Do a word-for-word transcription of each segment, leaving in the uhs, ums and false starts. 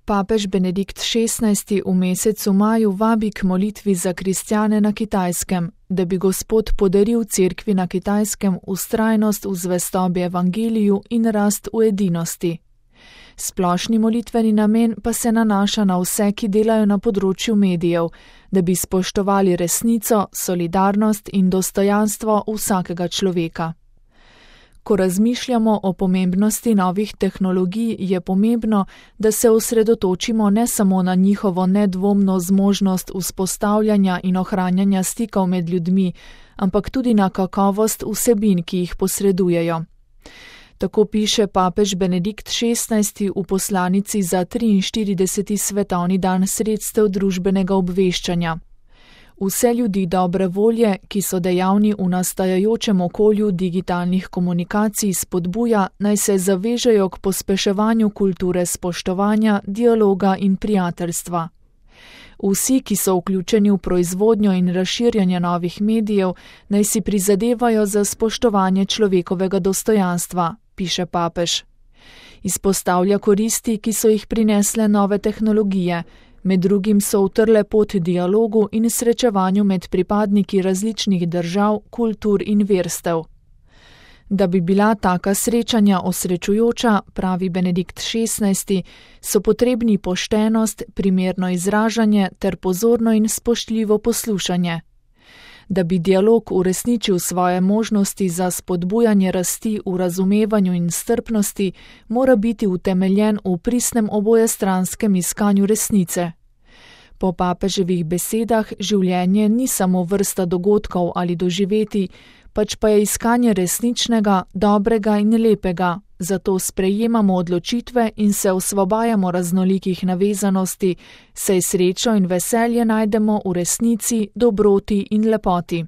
Papež Benedikt šestnajsti v mesecu maju vabi k molitvi za kristjane na Kitajskem, da bi Gospod podaril cerkvi na Kitajskem vztrajnost v zvestobi evangeliju in rast v edinosti. Splošni molitveni namen pa se nanaša na vse, ki delajo na področju medijev, da bi spoštovali resnico, solidarnost in dostojanstvo vsakega človeka. Ko razmišljamo o pomembnosti novih tehnologij, je pomembno, da se osredotočimo ne samo na njihovo nedvomno zmožnost vzpostavljanja in ohranjanja stikov med ljudmi, ampak tudi na kakovost vsebin, ki jih posredujejo. Tako piše papež Benedikt šestnajsti v poslanici za triinštirideseti svetovni dan sredstev družbenega obveščanja. Vse ljudi dobre volje, ki so dejavni v nastajajočem okolju digitalnih komunikacij, spodbuja, naj se zavežejo k pospeševanju kulture spoštovanja, dialoga in prijateljstva. Vsi, ki so vključeni v proizvodnjo in razširjanje novih medijev, naj si prizadevajo za spoštovanje človekovega dostojanstva, piše papež. Izpostavlja koristi, ki so jih prinesle nove tehnologije, med drugim so utrle pot dialogu in srečevanju med pripadniki različnih držav, kultur in verstev. Da bi bila taka srečanja osrečujoča, pravi Benedikt šestnajsti, so potrebni poštenost, primerno izražanje ter pozorno in spoštljivo poslušanje. Da bi dialog uresničil svoje možnosti za spodbujanje rasti v razumevanju in strpnosti, mora biti utemeljen v pristnem obojestranskem iskanju resnice. Po papeževih besedah življenje ni samo vrsta dogodkov ali doživeti, pač pa je iskanje resničnega, dobrega in lepega, zato sprejemamo odločitve in se osvobajamo raznolikih navezanosti, saj srečo in veselje najdemo v resnici, dobroti in lepoti.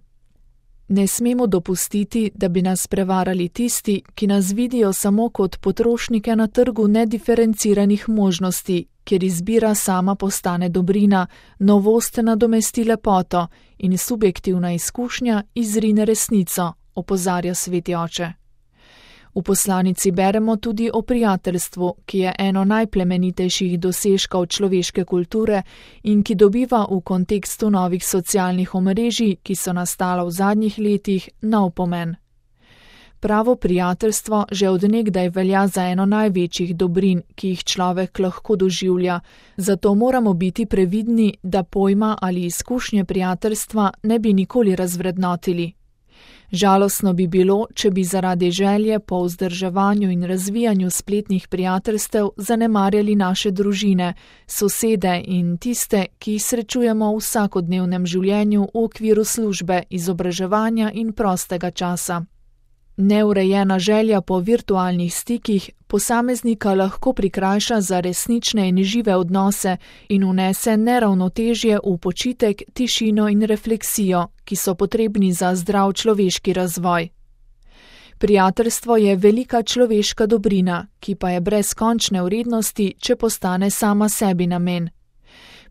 Ne smemo dopustiti, da bi nas prevarali tisti, ki nas vidijo samo kot potrošnike na trgu nediferenciranih možnosti, kjer izbira sama postane dobrina, novost nadomesti lepoto in subjektivna izkušnja izrine resnico, opozarja sveti oče. V poslanici beremo tudi o prijateljstvu, ki je eno najplemenitejših dosežkov človeške kulture in ki dobiva v kontekstu novih socialnih omrežij, ki so nastala v zadnjih letih, nov pomen. Pravo prijateljstvo že od nekdaj velja za eno največjih dobrin, ki jih človek lahko doživlja, zato moramo biti previdni, da pojma ali izkušnje prijateljstva ne bi nikoli razvrednotili. Žalostno bi bilo, če bi zaradi želje po vzdrževanju in razvijanju spletnih prijateljstev zanemarjali naše družine, sosede in tiste, ki jih srečujemo v vsakodnevnem življenju v okviru službe, izobraževanja in prostega časa. Neurejena želja po virtualnih stikih posameznika lahko prikrajša za resnične in žive odnose in vnese neravnotežje v počitek, tišino in refleksijo, ki so potrebni za zdrav človeški razvoj. Prijateljstvo je velika človeška dobrina, ki pa je brez končne vrednosti, če postane sama sebi namen.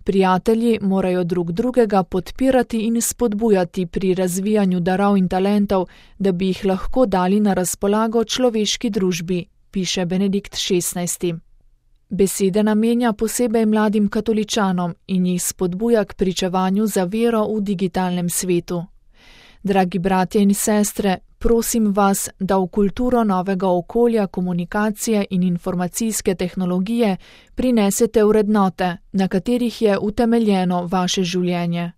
Prijatelji morajo drug drugega podpirati in spodbujati pri razvijanju darov in talentov, da bi jih lahko dali na razpolago človeški družbi, piše Benedikt šestnajsti. Besede namenja posebej mladim katoličanom in jih spodbuja k pričevanju za vero v digitalnem svetu. Dragi bratje in sestre, prosim vas, da v kulturo novega okolja komunikacije in informacijske tehnologije prinesete vrednote, na katerih je utemeljeno vaše življenje.